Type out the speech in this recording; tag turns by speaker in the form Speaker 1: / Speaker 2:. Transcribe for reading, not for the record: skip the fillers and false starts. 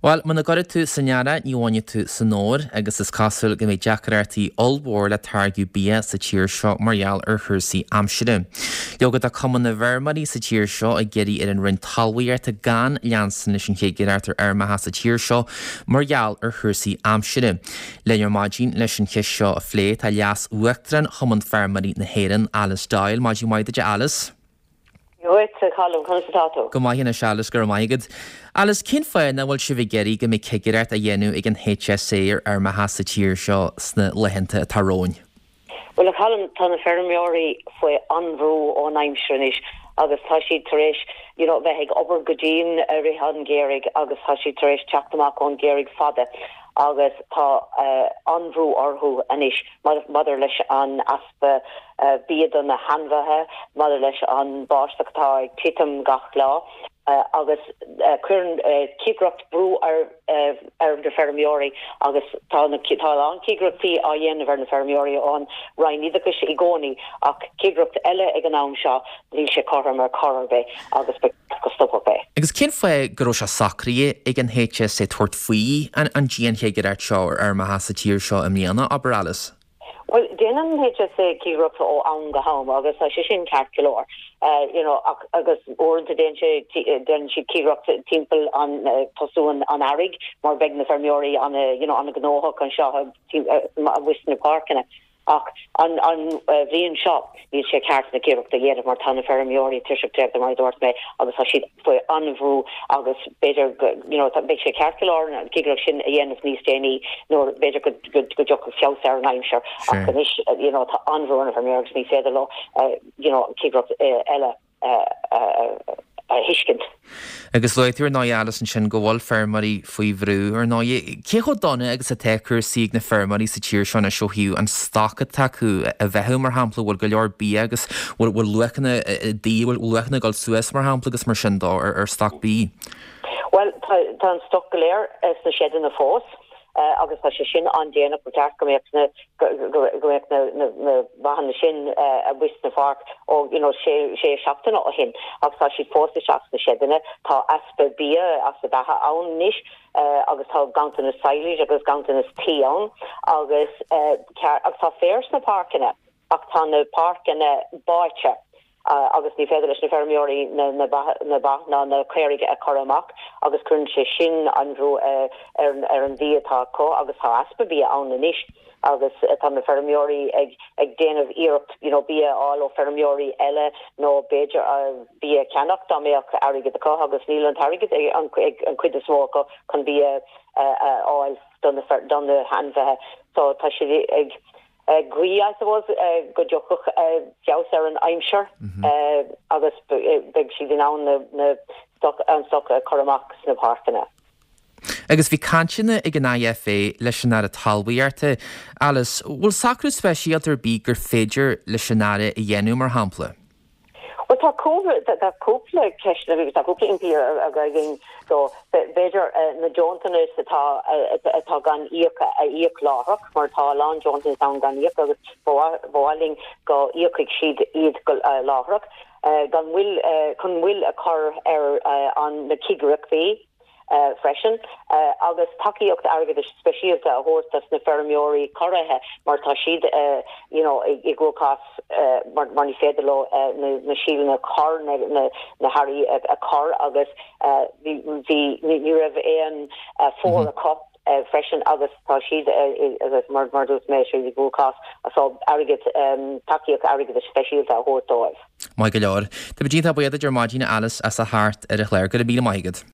Speaker 1: Bhuel, muna gcuirfidh tú san earrach ní bhainfidh tú san fhómhar agus is cosúil go mbeidh deacrachtaí ollmhór le táirgeadh bia sa tír seo mar gheall ar chúrsaí aimsire. Leoga tá Cumann na bhFeirmeoirí sa tír seo ag iarraidh ar an Roinn Talmhaíochta gan leanstan leis an chigireacht ar fheirmeacha sa tír seo mar gheall ar chúrsaí aimsire. Linn ar maidin leis an cheist seo a phlé tá Leas-Uachtarán Chumann Feirmeoirí na hÉireann, Alice Doyle. Maidin mhaith duit a Alice.
Speaker 2: Dhuit, a Cholm, conas atá tú?
Speaker 1: Go maith anois, Alice, go raibh maith agat. Alice, cén fáth nach bhfuil sibh ag iarraidh go mbeidh cigireacht á dhéanamh ag an HSA ar fheirmeacha sa tír seo sna laethanta atá romhainn?
Speaker 2: Bhuel, a Cholm, tá na feirmeoirí faoi an-bhrú ón aimsir anois agus tá siad tar éis you know bheith ag obair go dian i rith an gheimhridh agus tá siad tar éis teacht amach ón gheimhreadh fada agus tá an-bhrú orthu anois maidir leis an easpa bia do na hainmhithe, maidir leis an báisteach atá ag titim gach lá agus cuireann cigireacht brú ar ar na feirmeoirí agus tá na tá a lán cigireachtaí á dhéanamh ar na feirmeoirí ón Roinn Oideachais i gcónaí ach cigireacht eile ag an am seo níl sé cothrom ar chor ar bith agus ba cheart go stopfadh é.
Speaker 1: Agus cén fáth go raibh sé socraithe ag an HSA tabhairt faoi an dianchigireacht seo ar fheirmeacha sa tír seo i mbliana, abair Alice?
Speaker 2: Bhuel, déanann an HSA cigireacht ó am go ham agus tá sé sin ceart go leor. You know, ach, agus uaireanta déanann sé, déanann siad cigireacht timpeall an, tosú an, an earraigh mar beidh na feirmeoirí ana, you know, ana-ghnóthach anseo amuigh sna páirceanna. Ach an, an bhliain seo, níl sé ceart na cigireacht a dhéanamh mar tá na feirmeoirí tuirseach traochta mar a dúirt mé agus tá siad faoi an-bhrú agus b'fhéidir go, you know, beidh sé ceart go leor an cigireacht sin a dhéanamh níos déanaí nuair b'fhéidir go, go dtiocfadh feabhas ar an aimsir ach anois, you know, tá an-bhrú ar na feirmeoirí agus ní féidir leo, you know, cigireacht eile a thuiscint.
Speaker 1: Agus luaigh tú ar ndóigh Alice ansin go bhfuil feirmeoirí faoi bhrú ar ndóigh. Cé chomh dona agus atá cúrsaí ag na feirmeoirí sa tír seo anois ó thaobh an stoc atá acu a bheathú mar shampla, bhfuil go leor bia agus bhfuil luachanna bídh, bhfuil luachanna ag dul suas mar shampla agus mar sin dó ar stoc bídh?
Speaker 2: Bhuel tá an stoc go léir sna seideanna fós agus tá sé sin an-déanach, ba cheart go mbeadh na go mbeadh na bathanna sin amuigh sna pháirc ó you know sé sé seachtaine ó shin ach tá siad fós isteach sna seideanna. Tá easpa bia, easpa beatha ann anois agus tá ganntanas silage agus ganntanas tuí ann agus agus tá féar sna páirceanna ach tá na páirceanna báite agus ní féidir leis na feirmeoirí na ba ná na caoirigh a chur amach agus cuireann sé sin an bhrú ar an bhia atá acu agus tá easpa bia ann anois agus tá na feirmeoirí ag ag déanamh iarracht you know bia a fháil ó feirmeoirí eile nó b'fhéidir bia a cheannach dá mbeadh airgead acu agus níl an t-airgead ag an ag an chuid is mó acu chun bia a fháil do na do na hainmhithe so tá siad ag ag guí, I suppose, go dtiocfadh feabhas ar an aimsir agus beidh siad in ann na stoc, an stoc a chur amach sna páirceanna.
Speaker 1: Agus bhí cainteanna ag an IFA leis an Aire Talmhaíochta, Alice, bhfuil socrú speisialta ar bith gur féidir leis an Aire a dhéanamh, mar shampla?
Speaker 2: Bhuel, tá cúpla, tá cúpla ceist, tá cúpla impí againn dó. B'fhéidir na deontanais atá, atá gan íoc a íoc láithreach, mar tá a lán deontanas ann gan íoc agus ba mhaith linn go íocfaidh siad iad go láithreach, gan mhoill, chun moill a chur ar an, na cigireachtaí. freisin, agus tacaíocht airgeadais speisialta a thabhairt dos na feirmeoirí corraithe mar tá siad you know i gcruachás mar mar ní féidir leo na síleanna a chur, na hearraí a chur agus bhí bhí ní raibh aon fómhar acu freisin agus tá siad agus mar mar dúirt mé siad i gcruachás so airgead tacaíocht airgeadais speisialta a thabhairt dóibh.
Speaker 1: Maith go leor. Tá muid iontach buíoch duit ar maidin a Alice as a theacht ar an chlár. Go raibh míle maith agat.